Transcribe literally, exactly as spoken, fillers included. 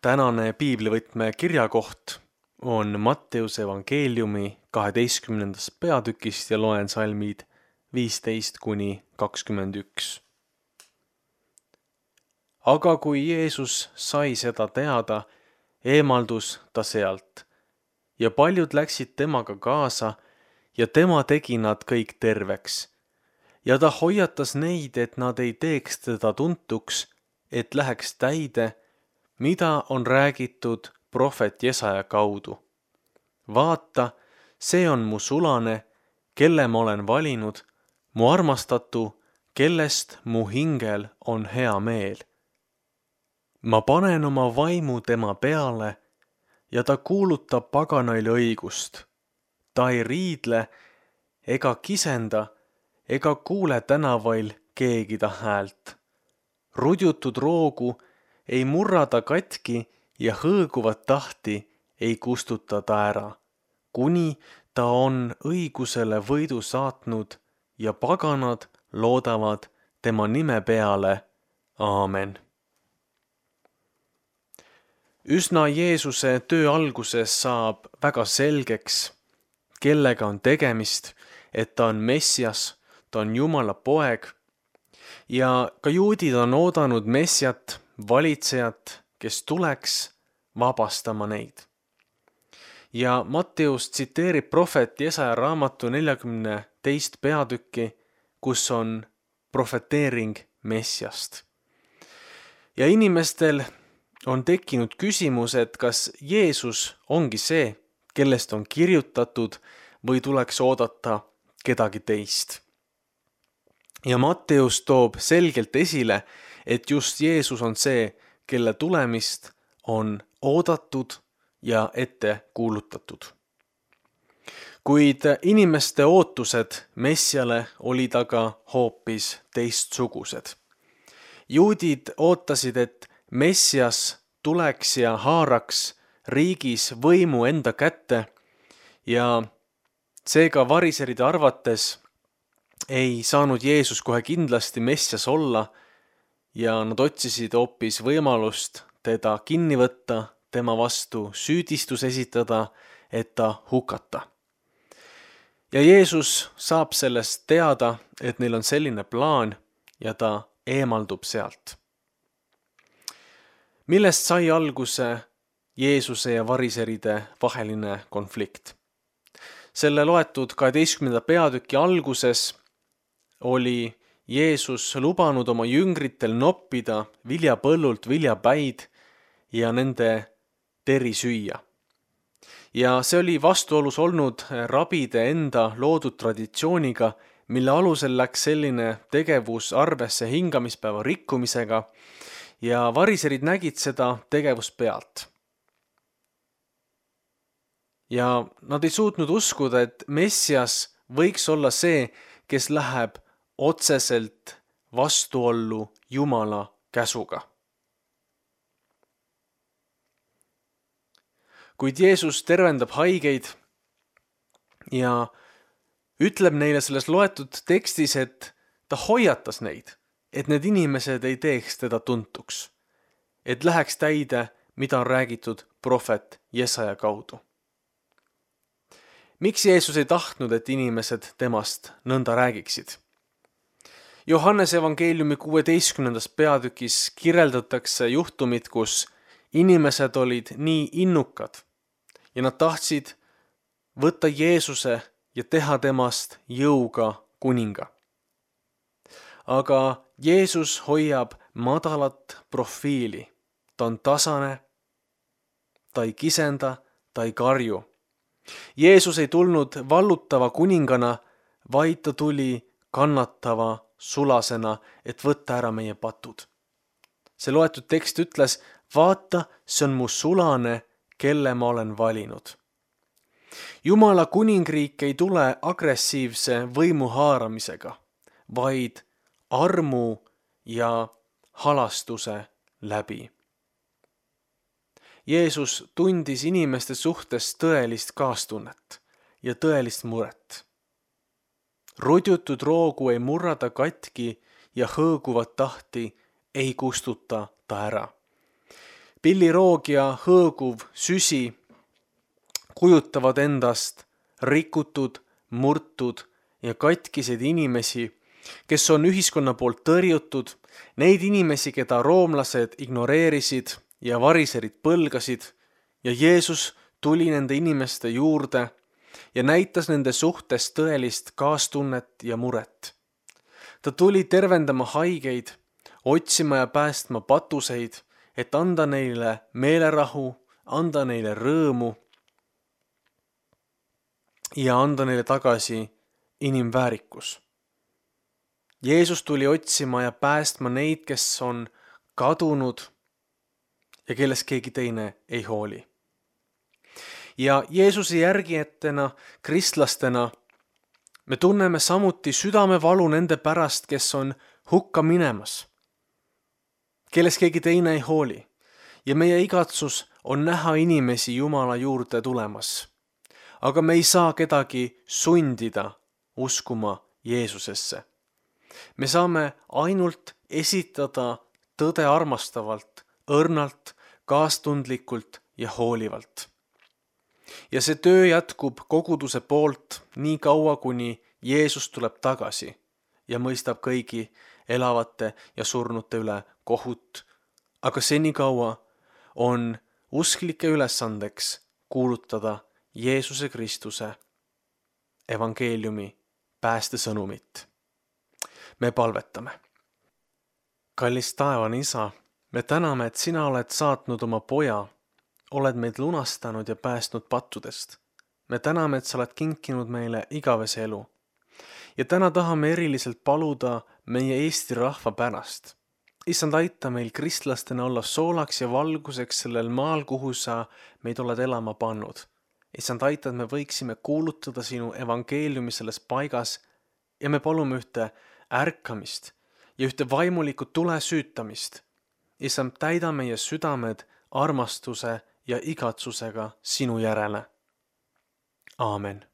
Tänane piiblivõtme kirjakoht on Matteuse evangeeliumi kaheteistkümnendast peatükist ja loen salmid viisteist kuni kakskümmend üks. Aga kui Jeesus sai seda teada, eemaldus ta sealt ja paljud läksid temaga kaasa ja tema tegi nad kõik terveks. Ja ta hoiatas neid, et nad ei teeks teda tuntuks, et läheks täide, mida on räägitud prohvet Jesaja kaudu. Vaata, see on mu sulane, kelle ma olen valinud, mu armastatu, kellest mu hingel on hea meel. Ma panen oma vaimu tema peale ja ta kuulutab paganaile õigust. Ta ei riidle ega kisenda ega kuule tänavail keegi ta häält. Rudjutud roogu ei murra ta katki ja hõõguvat tahti ei kustuta ta ära, kuni ta on õigusele võidu saatnud ja paganad loodavad tema nime peale. Aamen. Üsna Jeesuse töö alguses saab väga selgeks, kellega on tegemist, et ta on Messias, ta on Jumala poeg ja ka juudid on oodanud Messiat, valitsejat, kes tuleks vabastama neid. Ja Matteus tsiteerib prohvet Jesaja raamatu neljakümne teist peatükki, kus on profeteering Messiast. Ja inimestel on tekkinud küsimus, et kas Jeesus ongi see, kellest on kirjutatud või tuleks oodata kedagi teist. Ja Matteus toob selgelt esile, et just Jeesus on see, kelle tulemist on oodatud ja ette kuulutatud. Kuid inimeste ootused Messiale olid aga hoopis teistsugused. Juudid ootasid, et Messias tuleks ja haaraks riigis võimu enda kätte ja seega variseride arvates ei saanud Jeesus kohe kindlasti Messias olla ja nad otsisid hoopis võimalust teda kinni võtta, tema vastu süüdistus esitada, et ta hukata. Ja Jeesus saab sellest teada, et neil on selline plaan ja ta eemaldub sealt. Millest sai alguse Jeesuse ja variseride vaheline konflikt? Selle loetud kaheteistkümnenda peatüki alguses oli Jeesus lubanud oma jüngritel noppida viljapõllult viljapäid ja nende teri süüa. Ja see oli vastuolus olnud rabide enda loodud traditsiooniga, mille alusel läks selline tegevus arvesse hingamispäeva rikkumisega ja variserid nägid seda tegevust pealt. Ja nad ei suutnud uskuda, et Messias võiks olla see, kes läheb otseselt vastuollu Jumala käsuga. Kuid Jeesus tervendab haigeid ja ütleb neile selles loetud tekstis, et ta hoiatas neid, et need inimesed ei teeks teda tuntuks, et läheks täide, mida on räägitud prohvet Jesaja kaudu. Miks Jeesus ei tahtnud, et inimesed temast nõnda räägiksid? Johannese evangeeliumi kuueteistkümnendas peatükis kirjeldatakse juhtumit, kus inimesed olid nii innukad ja nad tahtsid võtta Jeesuse ja teha temast jõuga kuninga. Aga Jeesus hoiab madalat profiili. Ta on tasane, ta ei kisenda, ta ei karju. Jeesus ei tulnud vallutava kuningana, vaid ta tuli kannatava sulasena, et võtta ära meie patud. See loetud tekst ütles, vaata, see on mu sulane, kelle ma olen valinud. Jumala kuningriik ei tule agressiivse võimu haaramisega, vaid armu ja halastuse läbi. Jeesus tundis inimeste suhtes tõelist kaastunnet ja tõelist muret. Rudjutud roogu ei murrada katki ja hõõguvat tahti ei kustuta ta ära. pilliroog ja hõõguv süsi kujutavad endast rikutud, murtud ja katkiseid inimesi, kes on ühiskonna poolt tõrjutud, neid inimesi, keda roomlased ignoreerisid ja variserid põlgasid, ja Jeesus tuli nende inimeste juurde ja näitas nende suhtes tõelist kaastunnet ja muret. Ta tuli tervendama haigeid, otsima ja päästma patuseid, et anda neile meelerahu, anda neile rõõmu ja anda neile tagasi inimväärikus. Jeesus tuli otsima ja päästma neid, kes on kadunud ja kellest keegi teine ei hooli. Ja Jeesuse järgijatena, kristlastena, me tunneme samuti südamevalu nende pärast, kes on hukka minemas, kellest keegi teine ei hooli. Ja meie igatsus on näha inimesi Jumala juurde tulemas. Aga me ei saa kedagi sundida uskuma Jeesusesse. Me saame ainult esitada tõde armastavalt, õrnalt, kaastundlikult ja hoolivalt. Ja see töö jätkub koguduse poolt nii kaua, kuni Jeesus tuleb tagasi ja mõistab kõigi elavate ja surnute üle kohut. Aga senikaua on usklike ülesandeks kuulutada Jeesuse Kristuse evangeeliumi päästesõnumit. Me palvetame. Kallis taevane Isa, me täname, et sina oled saatnud oma poja, oled meid lunastanud ja päästnud pattudest. Me täname, et sa oled kinkinud meile igavese elu. Ja täna tahame eriliselt paluda meie Eesti rahva pärast. Issand, aita meil kristlastena olla soolaks ja valguseks sellel maal, kuhu sa meid oled elama pannud. Issand, aita, et me võiksime kuulutada sinu evangeeliumi selles paigas ja me palume ühte ärkamist ja ühte vaimulikku tule süütamist. Issand, täida meie südamed armastuse ja igatsusega sinu järele. Aamen.